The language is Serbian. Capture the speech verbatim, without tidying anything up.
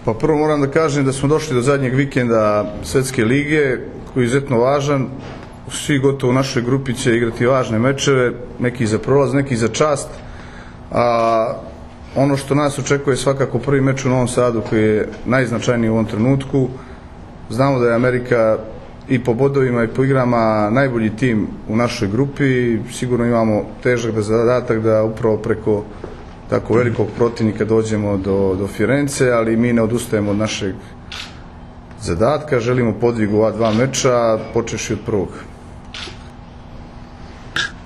Pa prvo moram da kažem da smo došli do zadnjeg vikenda Svetske lige, koji je izuzetno važan. Svi gotovo u našoj grupi će igrati važne mečeve, neki za prolaz, neki za čast. A ono što nas očekuje je svakako prvi meč u Novom Sadu, koji je najznačajniji u ovom trenutku. Znamo da je Amerika i po bodovima i po igrama najbolji tim u našoj grupi. Sigurno imamo težak zadatak da upravo preko tako velikog protivnika dođemo do, do Firence, ali mi ne odustajemo od našeg zadatka. Želimo podvig u ova dva meča, počevši od prvog.